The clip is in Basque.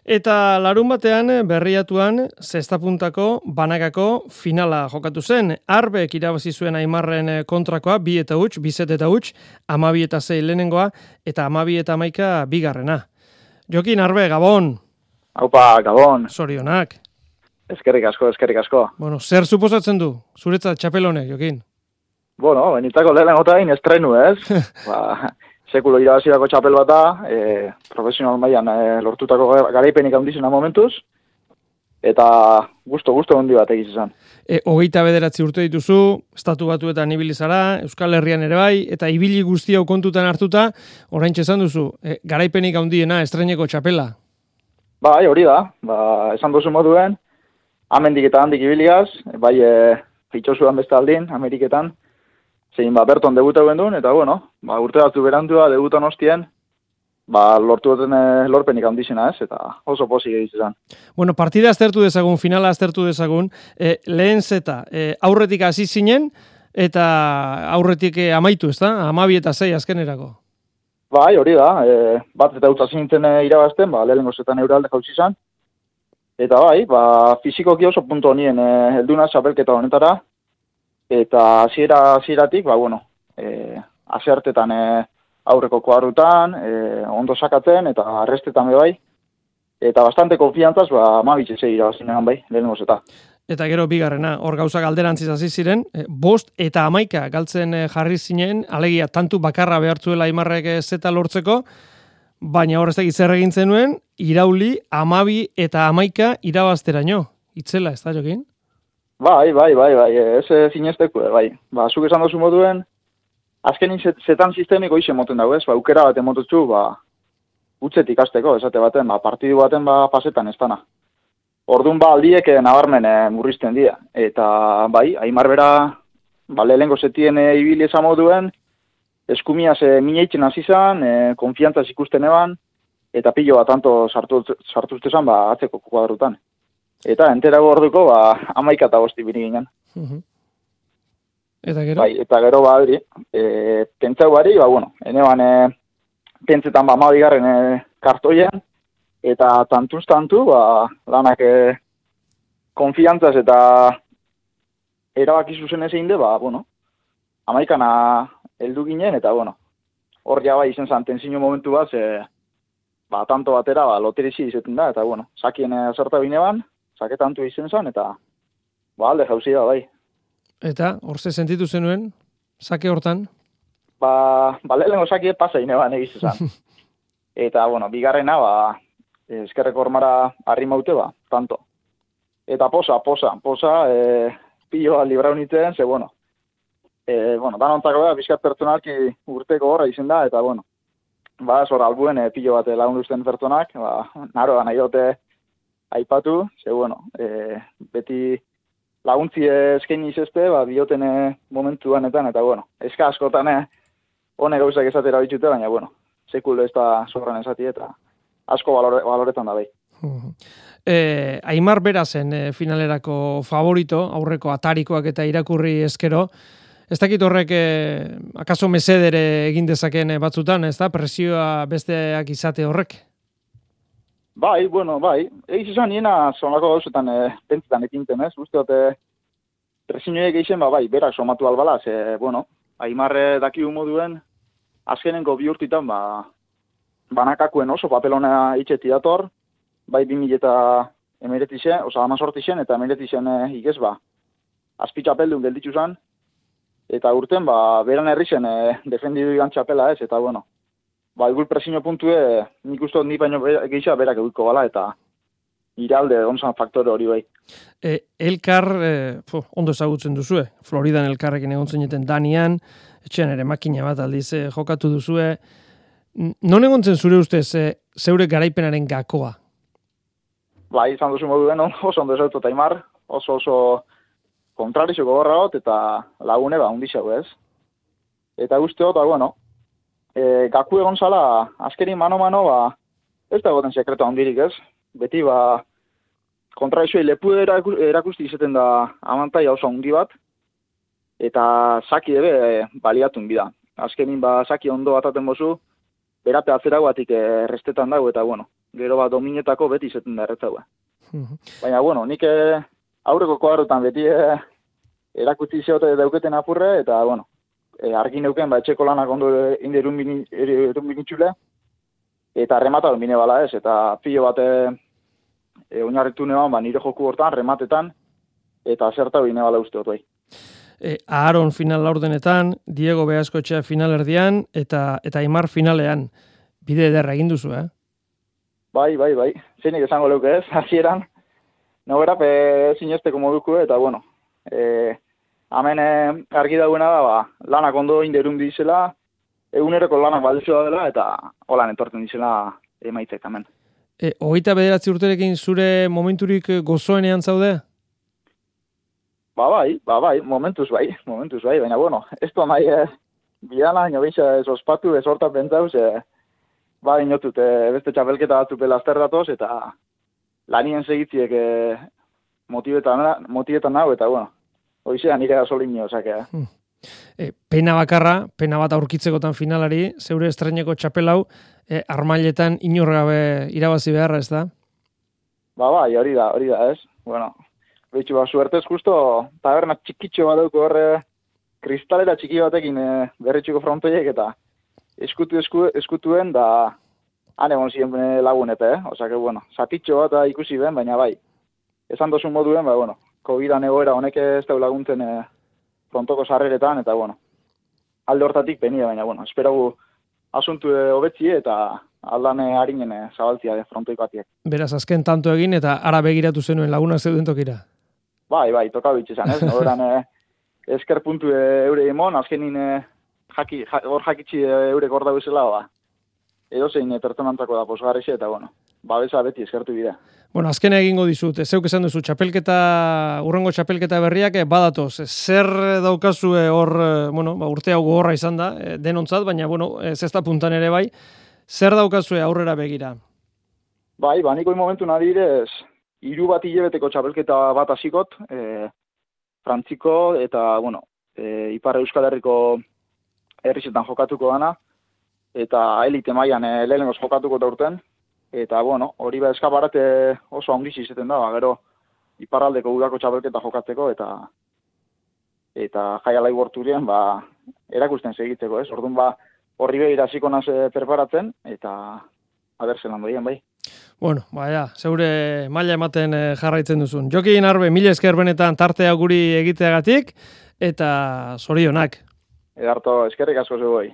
Eta larun batean Berriatuan zestapuntako banakako finala jokatu zen. Arbek irabazi zuen Aimarren kontrakoa 2-0, 2-0, 12-6 lehenengoa eta 12-11 bigarrena. Jokin, Arbe, Gabon. Haupa, Gabon. Zorionak. Eskerrik asko. Bueno, zer suposatzen du zuretzat txapelonek, Jokin? Bueno, benitako lehenengotain estrenu, ez? Sekulo irabazirako txapel bat da, profesional mailan lortutako garaipenik handizena momentuz, eta gusto handi bat egiz izan. 29 urte dituzu, Estatu Batuetan ibili zara, Euskal Herrian ere bai, eta ibili guzti hau kontutan hartuta, oraintxe esan duzu, garaipenik handiena estreineko txapela. Bai, hori da, esan duzu moduen, amendik eta handik ibiliaz, bai fitxosuan beste aldin, Ameriketan, zein berton debuta duen, eta bueno, urte batzu berantua debutan hostien, lortu duten lorpenik handizena, ez, eta oso pozik egiz izan. Bueno, partida aztertu dezagun, finala aztertu dezagun, lehen zeta, aurretik hasi zinen, eta aurretik amaitu, ez da? 12-6 azkenerako. Bai, hori da, bat eta utza zintzen irabazten, lehenengo zetan euralde jautsi izan, eta bai, fizikoki oso punto honien helduna txapelketa honetara, eta hasieratik, asertetan aurreko kuadrutan, ondo sakatzen, eta arrestetan bai, eta bastante konfiantzaz, 12-6 irabazinean bai, lehenengo zeta. Eta gero bigarrena, hor gauzak alderantziz hasi ziren, 5 eta 11 galtzen jarri zinen, alegia tantu bakarra behartzuela Aimarrek zeta lortzeko, baina hor ez dakit zer egin zenuen, irauli 12 eta 11 irabazteraino. Itzela, ez da, Jokin? Bai, ez zinezteku, bai. Zuk esan dozu moduen, azkenin zetan sistemiko izen moten dago, ez? Aukera bat emotutzu, utzetik ikasteko, esate baten, partidu baten pasetan ez dana. Orduan aldiek nabarmen murrizten dira. Eta bai, Aimar bera, lehenengo zetien ibili esan moduen, eskumiaz mineitzen hasi zan, konfiantzaz ikusten eban, eta pilo bat tanto sartuzte zan, atzeko kuadrutan. Eta enterago orduko, 11 eta 5 bini ginen. Eta gero? Bai, eta gero hori, pentsau bari, eneban pentsetan 12 kartoian, eta tantuz tantu, lanak konfiantzaz eta erabaki zuzen ezein de, 11 heldu ginen, eta hor bai izen zan tensio momentu bat, tanto batera, loterizi izaten da, eta sakien azerta bineban, saketantu izen zan, eta alde jauzia bai. Eta, hor ze sentitu zenuen, sake hortan? Lehenengo sake pasa ineban egiz zan. Eta, bigarrena, eskerreko hormara harri maute, tanto. Eta posa, piloa librau nintzen, ze, danontako da, bizkat pertsonalki urteko horra izen da, eta, zor albuen pilo bat lagunduzten pertsonak, naro nahi dute aipatu, ze, beti laguntzi eskaini izazte, bioten momentuanetan, eta, eska askotan, hone gauzak esatera bitxute, baina, sekul ez da zorran esati, eta asko baloretan da bai. Aimar bera zen finalerako favorito, aurreko atarikoak eta irakurri eskero, ez dakit horrek akaso mesedere egin dezaken batzutan, ez da, presioa besteak izate horrek? Bai. Egiz izan niena zonako gauzetan pentsetan ekinten, ez? Uste dute, presioek egiten, berak somatu albala, ze, Aimarre dakiu moduen, azkenenko bi urtitan, banakakuen oso papelona itxeti dator, bai 2019, oza, 18 eta 19 igez, azpitxapeldun gelditzu zan, eta urten, beran herri zen defendidu igan txapela ez, eta, egul presio puntue, nik uste ni baino gehiago berak egulko bala, eta iralde onzan faktore hori bai. Elkar, ondo ezagutzen duzue, Floridan elkarrekin egon zeneten Danian, etxean ere makina bat aldiz jokatu duzue. Non egon zen zure ustez zeure garaipenaren gakoa? Bai, izan duzu moduen oso ondo ezautu eta Aimar, oso kontrarizoko gorra hot, eta lagune undixau ez. Eta guztiot, gaku egon zala, azkerin mano-mano, ez da goten sekreto handirik ez. Beti, kontraizoi lepu erakusti izaten da amantai oso handi bat, eta saki ebe baliatun bida. Azkenin, saki ondo bataten bozu, berate atzera guatik restetan dago, eta gero dominetako beti izaten da erretzaua. Baina, bueno, nik aurreko koarotan beti erakutsi zeote dauketen apurre, eta, bueno, argi neuken, etxeko lanak ondo inderun binitxule, eta remata bine bala ez, eta pilo bat oinarritu neban, nire joku hortan, rematetan, eta zerta bine bala uste hot bai. Aaron final laurdenetan, Diego Beaskoetxea final erdian, eta Aimar finalean. Bide ederra egin duzu, Bai. Zeinik esango leuke ez, hasieran. Nogera, zinesteko moduko, eta bueno, hemen argi dauena da, lanak ondo inderun dizela, eguneroko lanak baldizua dela, eta holan entorten dizela emaitzek hemen. 29 urterekin zure momenturik gozoenean zaude? Bai, momentuz bai, baina bueno, ez da nahi biana, ino bintza ez ospatu, ez horta pentsauz, inotut, beste txapelketa batzuk belazter datoz, eta lanien segitziek motibetan nahu, eta bueno, hoizea nire gasolinio, osakea. Pena bat aurkitzekotan finalari, zeure estreineko txapelau, armailetan inorgabe irabazi beharra, ez da? Bai, hori da, ez? Bueno, behitxu suertez justo, taberna txikitxo bat dauko horre, kristalera txiki batekin berritxuko frontoiek, eta eskutuen, da han egon ziren lagunete, Osake, bueno, zatitxo bat ikusi ben, baina bai, esan dozun moduen, bueno, COVID-an egoera honek ez da laguntzen frontoko sarreretan, eta bueno, alde hortatik penia, baina bueno, esperagu asuntu hobetzi eta aldan harinen zabaltzia frontoikoatiek. Beraz, azken tanto egin eta ara begiratu zenuen lagunak zeuden tokira? Bai, toka bitxezan, ez? Noberan esker puntu eure emon, azkenin hor jakitsi eurek hor dauzela, edozein pertsonantzako da posgarrixe, eta bueno, babesa beti eskertu bidea. Bueno, azken egingo dizut, zeuk esan duzu, urrengo txapelketa berriak badatoz. Zer daukazu hor, urte hau gogorra izan da, denontzat, baina, zesta puntan ere bai, zer daukazu aurrera begira? Bai, niko momentu nadirez, 3 bat hilabeteko txapelketa bat hasikot, Frantziko, eta, Ipar Euskal Herriko herrizetan jokatuko dana, eta elite mailan lehenengoz jokatuko da urten, eta, hori eskaparate oso ongiz izeten da, gero iparraldeko udako txapelketa jokatzeko, eta jaialai borturien, erakusten segitzeko, ez? Orduan, horri behira hasiko naz preparatzen, eta abertzen handoien, bai. Zeure maila ematen jarraitzen duzun. Jokin Arbe, mila esker benetan tartea guri egiteagatik, eta zorionak. Edarto, eskerrik asko zeu bai.